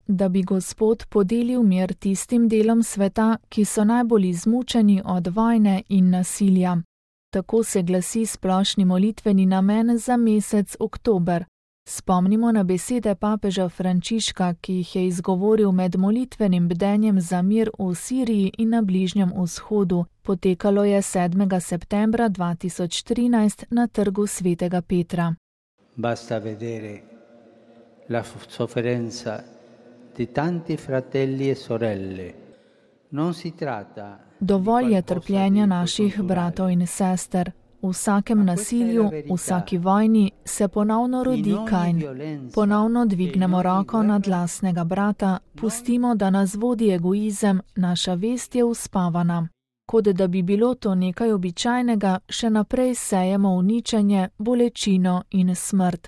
da bi Gospod podelil mir tistim delom sveta, ki so najbolj izmučeni od vojne in nasilja. Tako se glasi splošni molitveni namen za mesec oktober. Spomnimo na besede papeža Frančiška, ki jih je izgovoril med molitvenim bdenjem za mir v Siriji in na Bližnjem vzhodu. Potekalo je 7. septembra 2013 na trgu Svetega Petra. Basta vedere la sofferenza di tanti fratelli e sorelle. Non si tratta. Dovolj je trpljenja naših bratov in sester. V vsakem nasilju, v vsaki vojni se ponovno rodi Kain. Ponovno dvignemo roko nad lastnega brata, pustimo, da nas vodi egoizem, naša vest je uspavana. Kot da bi bilo to nekaj običajnega, še naprej sejemo uničenje, bolečino in smrt.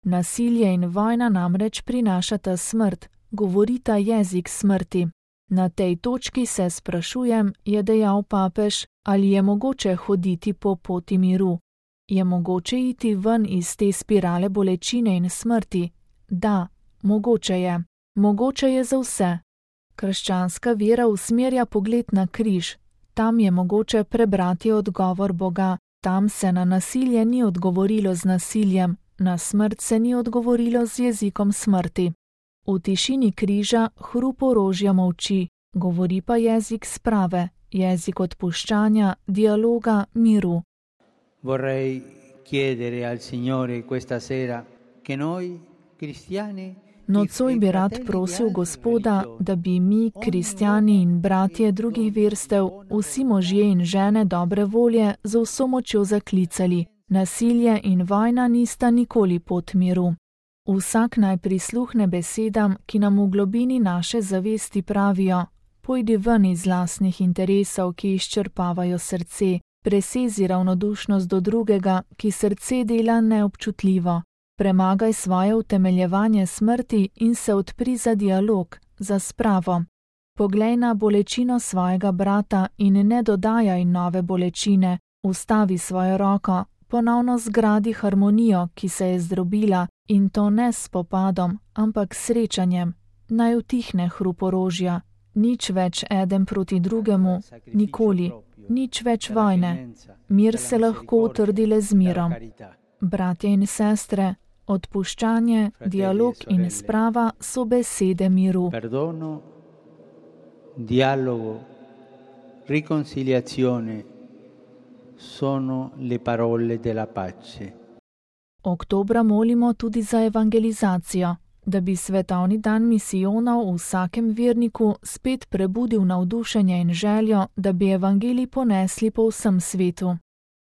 Nasilje in vojna namreč prinašata smrt, govorita jezik smrti. Na tej točki se sprašujem, je dejal papež, ali je mogoče hoditi po poti miru. Je mogoče iti ven iz te spirale bolečine in smrti? Da, mogoče je. Mogoče je za vse. Krščanska vera usmerja pogled na križ. Tam je mogoče prebrati odgovor Boga. Tam se na nasilje ni odgovorilo z nasiljem, na smrt se ni odgovorilo z jezikom smrti. V tišini križa hrup orožja molči, govori pa jezik sprave, jezik odpuščanja, dialoga, miru. Vorrei chiedere al Signore questa sera che noi cristiani. Nocoj bi rad prosil Gospoda, da bi mi, kristjani in bratje drugih verstev, vsi možje in žene dobre volje z vso močjo zaklicali. Nasilje in vojna nista nikoli pot miru. Vsak naj prisluhne besedam, ki nam v globini naše zavesti pravijo: pojdi ven iz lastnih interesov, ki izčrpavajo srce, presezi ravnodušnost do drugega, ki srce dela neobčutljivo. Premagaj svoje utemeljevanje smrti in se odpri za dialog, za spravo. Poglej na bolečino svojega brata in ne dodajaj nove bolečine, ustavi svojo roko, ponovno zgradi harmonijo, ki se je zdrobila, in to ne s spopadom, ampak srečanjem. Naj utihne hrup orožja, nič več eden proti drugemu, nikoli, nič več vojne. Mir se lahko utrdi le z mirom. Bratje in sestre, odpuščanje, dialog in sprava so besede miru. Perdono, dialogo, riconciliazione sono le parole della pace. Oktobra molimo tudi za evangelizacijo, da bi svetovni dan misijonov v vsakem verniku spet prebudil navdušenje in željo, da bi evangelij ponesli po vsem svetu.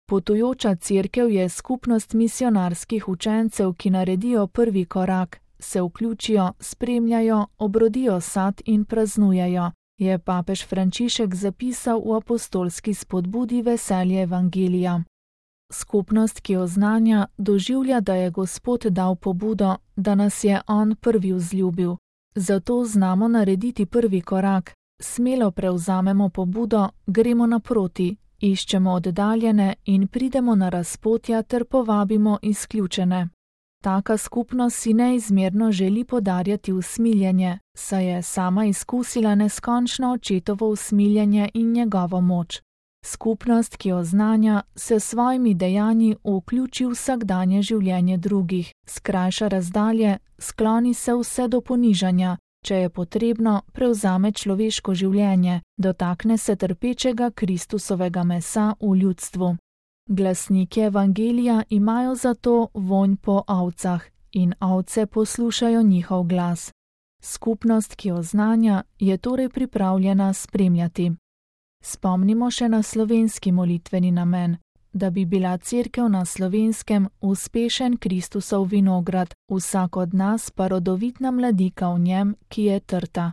Potujoča cerkev je skupnost misionarskih učencev, ki naredijo prvi korak, se vključijo, spremljajo, obrodijo sad in praznujejo, je papež Frančišek zapisal v apostolski spodbudi Veselje evangelija. Skupnost, ki oznanja, doživlja, da je Gospod dal pobudo, da nas je On prvi vzljubil. Zato znamo narediti prvi korak, smelo prevzamemo pobudo, gremo naproti, iščemo oddaljene in pridemo na razpotja ter povabimo izključene. Taka skupnost si neizmerno želi podarjati usmiljenje, saj je sama izkusila neskončno očetovo usmiljenje in njegovo moč. Skupnost, ki oznanja, se s svojimi dejanji vključi v vsakdanje življenje drugih, skrajša razdalje, skloni se vse do ponižanja, če je potrebno, prevzame človeško življenje, dotakne se trpečega Kristusovega mesa v ljudstvu. Glasniki evangelija imajo zato vonj po ovcah in ovce poslušajo njihov glas. Skupnost, ki oznanja, je torej pripravljena spremljati. Spomnimo še na slovenski molitveni namen, da bi bila cerkev na Slovenskem uspešen Kristusov vinograd, vsak od nas pa rodovitna mladika v njem, ki je trta.